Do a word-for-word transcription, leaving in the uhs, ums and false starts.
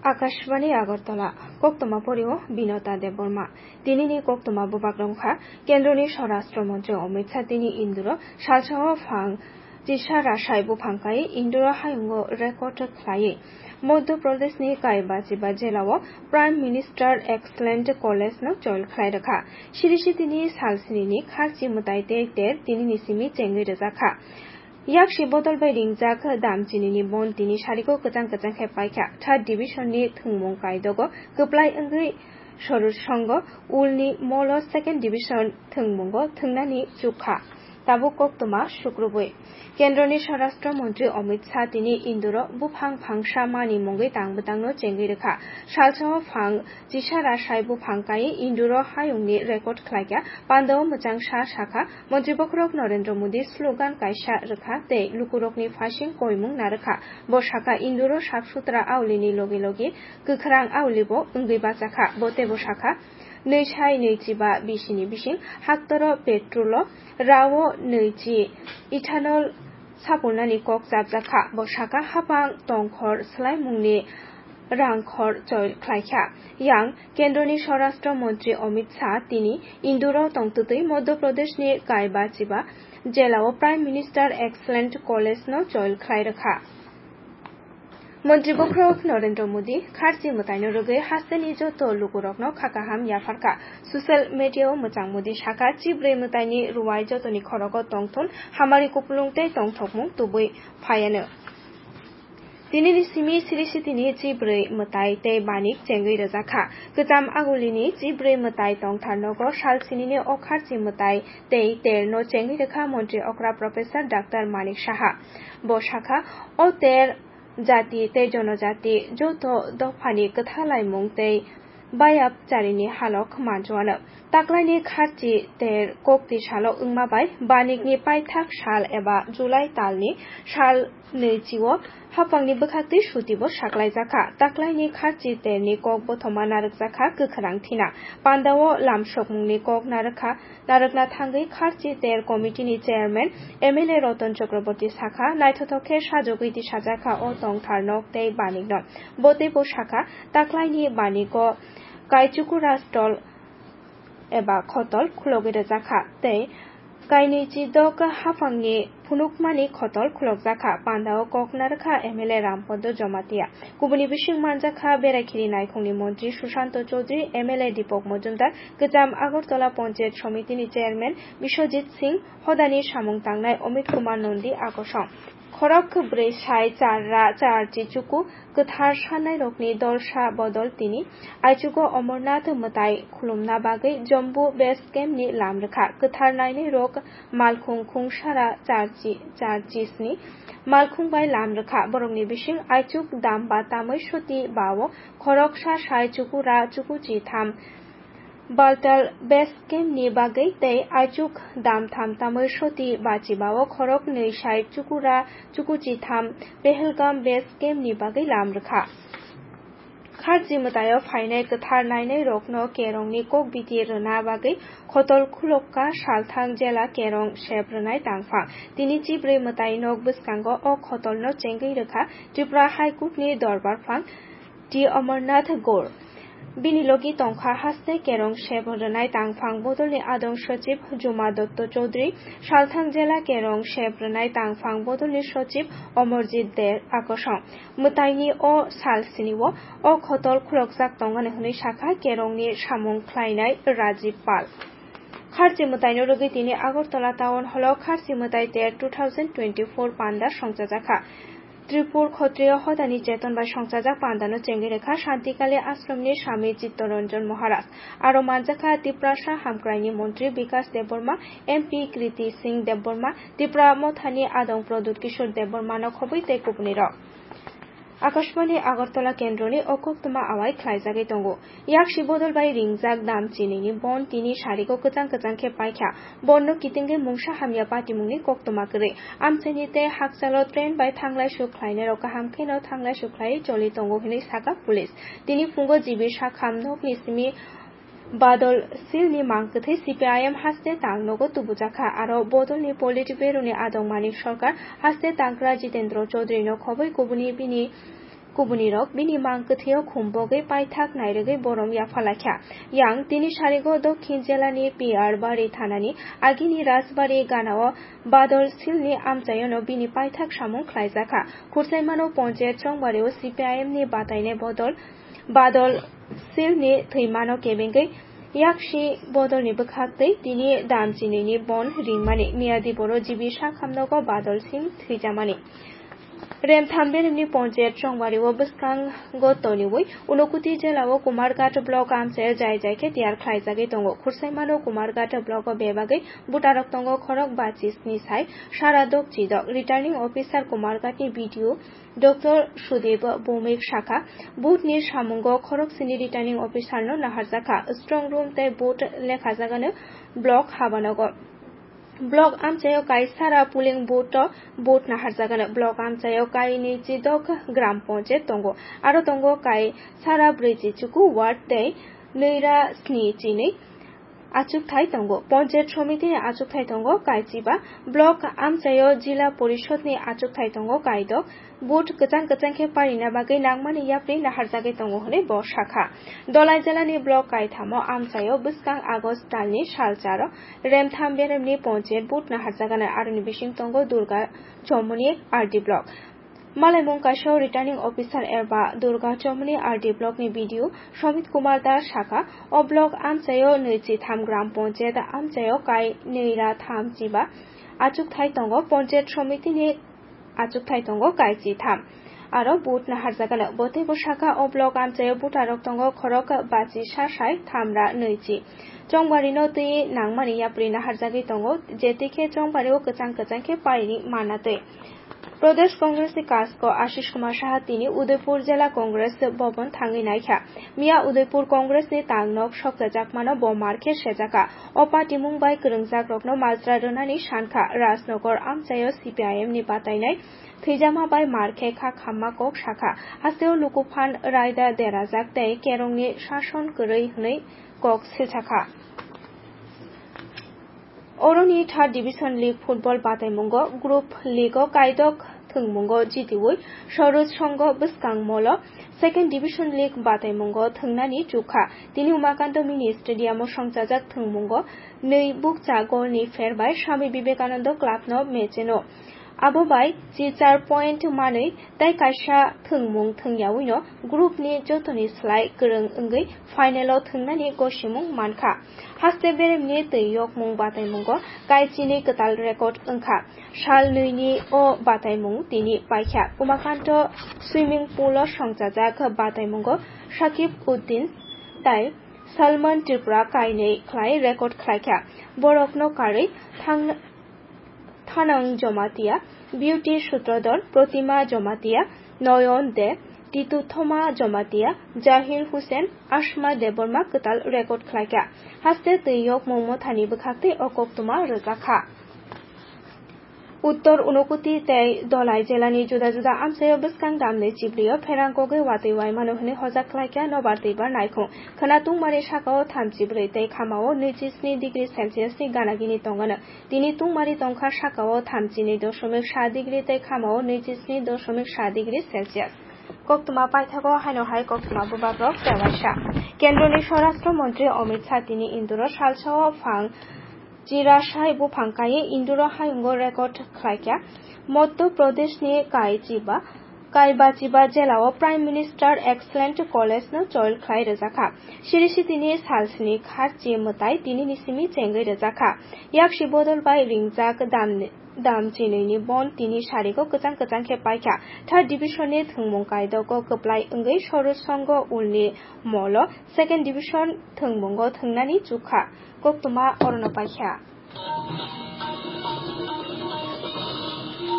Akashbani Agartala, koktwma porio Binota Debbarma. Tinini koktwma bubak rwngkha, Kendroni Swarashtra Montri Amit Shah tini Indoro salsao phang chisa rasai buphang kai Indoro hayungo record khlaiwi Madhya Pradeshni Kaibachiba jelao Prime Minister Excellent College no join khlai rwkha. Siri sitini sal sinini kharchi mwtai tei ter tinini simi chengwi rwjakha. Yaksi bodol bai ringjak dam chinini bon tini sariko kwchang kwchang khe paikha. Third division ni thwngmung kaidogo kwplai wngwi Sorusongo ulni molo second division thwngmungo thwngnani chukha. Tabuk koktwma sukrubwi. Kendroni Swarashtra Montri Amit Shah tini Indoro buphang phangsa mani mungwi tang bwtangno chengwi rwkha. Salsao phang chisa rasai buphang kai Indoro hayungni record khlaikha. Pandao mwchang sa sakha, Montri bokhorok Narendra Modi slogan kaisa rwkha tei lukurokni phaising koimung narwkha. Bo sakha, Indoro sak sutra aulini logi logi kwkhrang aulibo wngwi bachakha. Bo teibo sakha, nwi sai nwi chiba bisini bising haktoro petrolo rao nwi chi ethanol sapulnani kok chapjakha. Bo sakha, hapang tongkhor swlaimungni rangkhor choi khlaikha. Yang Kendroni Swarashtra Montri Amit Shah tini Indoro tongtwtwi Madhya Pradeshni Kaibachiba jelao Prime Minister Excellent College no join khlai rwkha. Montri bokhorok Narendra Modi kharchi mwtaino rwgwi hasteni joto lukurokno kha kaham yapharkha. Social media-o mwchang Modi sakha, chibrwi mwtaini ruwai jotoni khorogo tongthun, hamari kupulung tei tongthokmung tubui phaiano. Tinini simi siri sitini chibrwi mwtai tei banik chengwi rwjakha. Kwcham agulini chibrwi mwtai tongthar nogo sal sinini o kharchi mwtai tei terno chengwi rwkha Montri okra Professor Doctor Manik Saha. Bo sakha, o ter jati tei jonojati joto dophani kwthalaimung tei bayap charini halok manjuano. Taklaini kharchi ter kokti salo wngma bai banikni paithak sal eba July talni sal nwichio haphangni bwkhaktwi sutibo saklaijakha. Taklaini kharchi terni kok bothoma narwkjakha kwkhwrang thina. Pandao lamsokmungni kok narwkha. Narwkna thangwi kharchi ter committee ni chairman M L A Ratan Chakraborty sakha, naithothok khe sajagwi tisajakha o tongthar nok tei banik no. Bo teibo sakha, taklaini baniko kaichukura stol eba khotol khulogwi rwjakha tei kainwi chidok haphangni phunukmani khotol khulokjakha. Pandao kok narwkha M L A Rampondo Jomatia. Kubuni bising manjakha Berakhiri Naikhungni Montri Sushanto Chaudhary, M L A Deepak Majumdar, Kwcham Agartala Panchayat Somitini Chairman Biswajit Singh, hodani samung tangnai Amit Kumar Nandi akosong. Khorok kwbrwi sai char ra char chi chuku kwthar sanairokni dolsa bodol tini aichugo Amarnath mwtai khulumna bagwi Jammu Base Camp ni lam rwkha. Kwthar nainairok malkhung khungsara char chi, char chi sni malkhung bai lam rwkha. Borokni bising aichuk dam ba tamwi soti ba o khoroksa sai chuku ra chuku chi tham Baltal Base Camp ni bagwi tei aichuk dam tham tamwi soti bachi ba o khorok nwi sai chuku ra chuku chi tham Pahalgam Base Camp ni bagwi lam rwkha. Kharchi mwtaio phainai kwthar nainairokno kerongni kokbiti rwna bagwi khotol khulokka salthang jela kerong sep rwnai tangphang. Tini chibrwi mwtai nok bwskango o khotolno chengwi rwkha Tripura High Court ni dorbar phang T Amarnath Gaur. Bini logi tongkha haste kerong sep rwnai tangphang bodolni adong sochib Juma Dotto Chaudhary, salthang jela kerong sep rwnai tangphang bodolni sochib Amarjit De akosong. Mwtaini o sal sini o, o khotol khulokjak tongani hwnwi sakha kerongni samung khlainai Rajib Pal. Kharchi mwtaino rwgwi tini Agartala Town Hall o Kharchi mwtai ter two thousand twenty-four panda songchajakha. Tripur Khotriyo hodani cheton bai songchajak pandano chengwi rwkha Shantikali Ashramni Swami Chittaranjan Maharaj. Aro manjakha Tiprasa Hamkraini Montri Bikas Debbarma, M P Kriti Singh Debbarma, Tipra Mothani Adong Pradyut Kishore Debbarmano khobwi tei kubunirok. Akashbani Agartala kendroni o koktwma awai khlaijagwi tongo. Yaksi bodol bai ringjak dam chinini bon tini sariko kwchang kwchang khe paikha. Bonno kitingwi mungsa hamya patimungni koktwma kwrwi. Amchaini tei hakchalo train bai thanglai suk khlainairok kaham kheno thanglai suk khlaiwi choli tongo hwnwi sakha police. Tini phungo G B sakham nokni simi Badol silni mang kwthwi C P I M haste tang nogo tubujakha, aro bodolni Politburo ni adong Manik Sarkar haste tangkra Jitendra Chaudhary no khobwi kubuni bini Kubunirok bini mang kwthwio khumbogwi paithak nairwgwi borom yaphalaikha. Yang tini sarigo Dokhin jelani P R Bari thanani agini Rajbari ganao Badol Silni amchaiono bini paithak samung khlaijakha. Khursaimano Ponchayat Chongbario C P I M ni batainai bodol Badol Silni thwimano kebengwi yaksi bodolni bwkhaktwi tini dam chinini bon ringmani miyadi boro G B sakhamnogo Badol Sil thwijamani. Remtham beremni Ponchayat Chongbario bwskango toniwi Unokuti jelao Kumarghat block amchaio jai jai khe tiyar khlaijagwi tongo. Khursaimano Kumarghat blocko bebagwi butarok tongo khorok bachi sni sai sara dok chidok. Returning officer Kumarghatni B D O Doctor Sudip Bhowmik sakha, booth ni samungo khorok sini returning officer no naharjakha, strong room tei booth lekhajagano block habanogo. Block amchaio kai sara polling booth o booth naharjagano. Block amchaio kai ni chidok gram ponchayat tongo. Aro tongo kai sara brwi chi chuku ward tei nwi ra sni chinwi achukthai tongo. Ponchayat somiti ni achukthai tongo kai chiba. Block amchaio jila porishod ni achukthai tongo kai dok. Booth kwchang kwchang khe parina bagwi nangmani yapri naharjagwi tongo hwnwi bo sakha. Dolai jelani block kaithamo amchaio bwskang August talni salcharo Remtham beremni Ponchayat booth naharjagano, aroni bising tongo Durga Chomoni R D block. Malaimung kaisa returning officer eba Durga Chomoni R D block ni B D O Somit Kumar Das sakha, o block amchaio nwi chi tham gram ponchayat amchaio kai nwi ra tham chiba achukthai tongo, ponchayat somiti ni achukthai tongo kai chi tham. Aro booth naharjagano, bo teibo sakha o block amchaio butarok tongo khorok bachi sa sai tham ra nwi chi. Chongbarino twi nangmani yapri naharjagwi tongo, je twi khe Chongbario kwchang kwchang khe paini manna twi. Pradesh Congress ni kasko Ashish Kumar Saha tini Udaipur Jela Congress Bhavan thangwi naikha. Miya Udaipur Congress ni tangnok sokchajakmano bo mar khe sejakha. O patimung bai kwrwngjakrokno majra rwnani sankha. Rajnagar amchaio C P I M ni batainai thwijama bai mar khe kha khamma kok sakha. Hasteo lukuphan raida derajak tei kerongni sason kwrwi hwnwi kok silsakha. Oroni third division league football bataimungo group league o kaidok thwngmungo jitiwi Soroj Songho bwskang molo second division league bataimungo thwngnani chukha. Tini Umakanto mini stadium o songchajak thwngmungo nwi bukcha golni pher bai Swami Vivekananda club no mecheno. Abo bai chi char point manwi tei kaisa thwngmung thwngyawi no group ni jotoni slai kwrwng wngwi final o thwngnani gosimung mankha. Haste beremni twi yokmung bataimungo kaichini kwtal record wngkha. Sal nwini o bataimung tini paikha. Umakanto swimming pool o songchajak bataimungo Sakib Uddin tai Salman Tripura kainwi khlai record khlaikha. Borokno karwi thang Thanang Jomatia, Beauty Sutrodhor, Protima Jomatia, Noyon De, Titu Thoma Jomatia, Jahir Hussain, Asma Debbarma kwtal record khlaikha. Haste twi yokmung mothani bwkhaktwi o koktwma rwjakha. Uttor Unokuti tei Dolai jelani juda juda amchaio bwskang damni chibrio pherang kogwi watwi waimano hwnwi hojak khlaikha nobar twibar naikhung. Khwna tungmari sakao thamchi brwi tei khamao nwichi sni degree Celsius ni gana gini tongano. Tini tungmari tongkha sakao thamchi ni dosomik sa degree tei khamao nwichi sni dosomik sa degree Celsius. Koktwma paithago haino hai koktwma bubagrok tewaisa. Kendroni Swarashtra Montri Amit Shah tini Indoro salsao phang chirasai buphang kaiwi Indoro hayungo record khlaikha. Madhya Pradeshni Kaichiba Kaibachiba jelao Prime Minister Excellent College no choil khlai rwjakha. Siri sitini salsni kharchi mwtai tinini simi chengwi rwjakha. Yaksi bodol bai ringjak dam, dam chinwini bon tini sarigo kwchang kwchang khe paikha. Third division ni thwngmung kaidogo kwplai wngwi Soroj Songho ulni molo second division thwngmungo thwngnani chukha. Koktwma orono paikha.